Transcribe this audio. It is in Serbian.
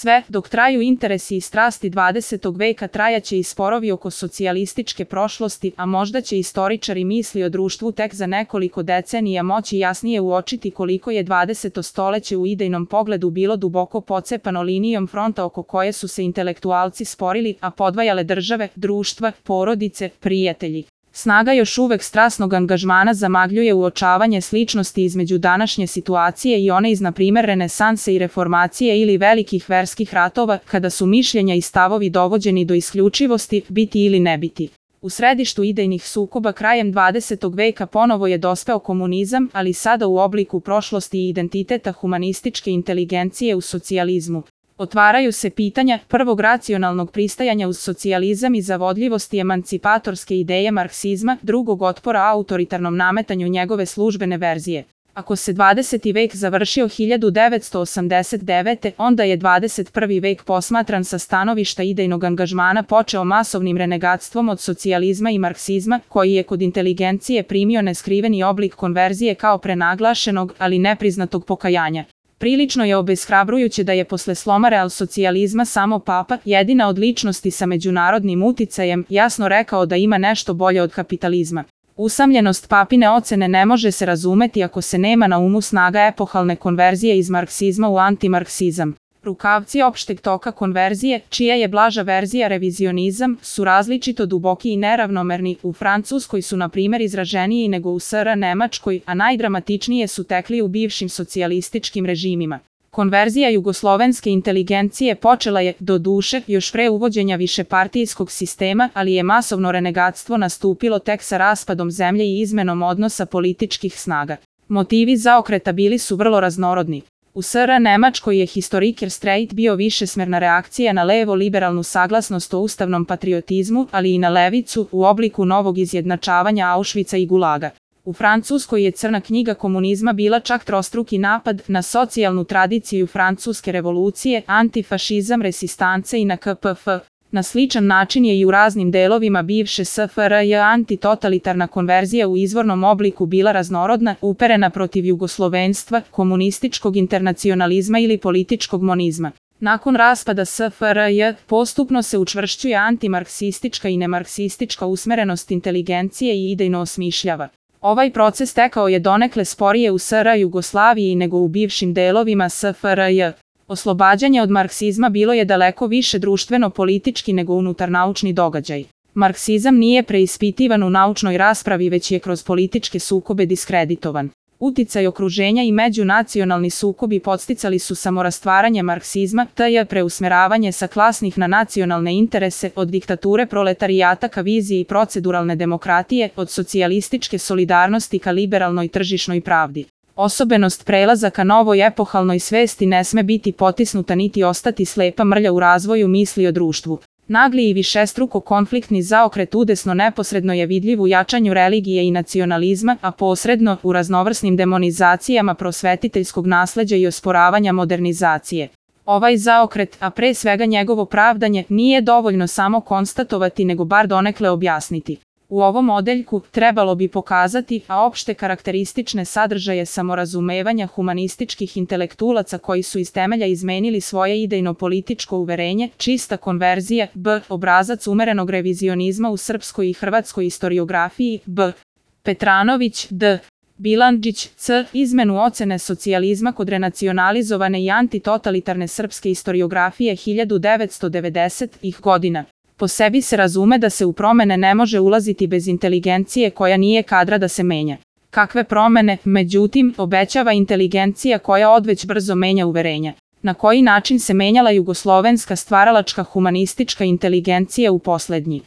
Sve dok traju interesi i strasti 20. veka trajaće i sporovi oko socijalističke prošlosti, a možda će istoričari misli o društvu tek za nekoliko decenija moći jasnije uočiti koliko je 20. stoleće u idejnom pogledu bilo duboko pocepano linijom fronta oko koje su se intelektualci sporili, a podvajale države, društva, porodice, prijatelji. Snaga još uvek strasnog angažmana zamagljuje uočavanje sličnosti između današnje situacije i one iz, na primer, renesanse i reformacije ili velikih verskih ratova, kada su mišljenja i stavovi dovođeni do isključivosti, biti ili ne biti. U središtu idejnih sukoba krajem 20. veka ponovo je dospeo komunizam, ali sada u obliku prošlosti i identiteta humanističke inteligencije u socijalizmu. Otvaraju se pitanja prvog racionalnog pristajanja uz socijalizam i zavodljivosti emancipatorske ideje marksizma, drugog otpora autoritarnom nametanju njegove službene verzije. Ako se 20. vek završio 1989. onda je 21. vek posmatran sa stanovišta idejnog angažmana počeo masovnim renegatstvom od socijalizma i marksizma, koji je kod inteligencije primio neskriveni oblik konverzije kao prenaglašenog, ali nepriznatog pokajanja. Prilično je obeshrabrujuće da je posle sloma realsocijalizma samo Papa, jedina od ličnosti sa međunarodnim uticajem, jasno rekao da ima nešto bolje od kapitalizma. Usamljenost Papine ocene ne može se razumeti ako se nema na umu snaga epohalne konverzije iz marksizma u antimarksizam. Rukavci opšteg toka konverzije, čija je blaža verzija revizionizam, su različito duboki i neravnomerni. U Francuskoj su, na primer, izraženiji nego u SR Nemačkoj, a najdramatičnije su tekli u bivšim socijalističkim režimima. Konverzija jugoslovenske inteligencije počela je, doduše, još pre uvođenja višepartijskog sistema, ali je masovno renegatstvo nastupilo tek sa raspadom zemlje i izmenom odnosa političkih snaga. Motivi zaokreta bili su vrlo raznorodni. U SR Nemačkoj je historiker Streit bio višesmerna reakcija na levo-liberalnu saglasnost o ustavnom patriotizmu, ali i na levicu u obliku novog izjednačavanja Auschwitza i Gulaga. U Francuskoj je crna knjiga komunizma bila čak trostruki napad na socijalnu tradiciju francuske revolucije, antifašizam, resistance i na KPF. Na sličan način je i u raznim delovima bivše SFRJ antitotalitarna konverzija u izvornom obliku bila raznorodna, uperena protiv jugoslovenstva, komunističkog internacionalizma ili političkog monizma. Nakon raspada SFRJ, postupno se učvršćuje antimarksistička i nemarksistička usmerenost inteligencije i idejno osmišljava. Ovaj proces tekao je donekle sporije u SR Jugoslaviji nego u bivšim delovima SFRJ. Oslobađanje od marksizma bilo je daleko više društveno-politički nego unutarnaučni događaj. Marksizam nije preispitivan u naučnoj raspravi, već je kroz političke sukobe diskreditovan. Uticaj okruženja i međunacionalni sukobi podsticali su samorastvaranje marksizma, te preusmeravanje sa klasnih na nacionalne interese, od diktature proletarijata ka viziji i proceduralne demokratije, od socijalističke solidarnosti ka liberalnoj tržišnoj pravdi. Osobenost prelaza ka novoj epohalnoj svesti ne sme biti potisnuta niti ostati slepa mrlja u razvoju misli o društvu. Nagli i višestruko konfliktni zaokret udesno neposredno je vidljiv u jačanju religije i nacionalizma, a posredno u raznovrsnim demonizacijama prosvetiteljskog nasleđa i osporavanja modernizacije. Ovaj zaokret, a pre svega njegovo pravdanje, nije dovoljno samo konstatovati nego bar donekle objasniti. U ovom odeljku trebalo bi pokazati opšte karakteristične sadržaje samorazumevanja humanističkih intelektualaca koji su iz temelja izmenili svoje idejno-političko uverenje, čista konverzija, obrazac umerenog revizionizma u srpskoj i hrvatskoj istoriografiji, Petranović, D. Bilandžić, C. Izmenu ocene socijalizma kod renacionalizovane i antitotalitarne srpske istoriografije 1990-ih godina. Po sebi se razume da se u promene ne može ulaziti bez inteligencije koja nije kadra da se menja. Kakve promene, međutim, obećava inteligencija koja odveć brzo menja uverenja? Na koji način se menjala jugoslovenska stvaralačka humanistička inteligencija u poslednji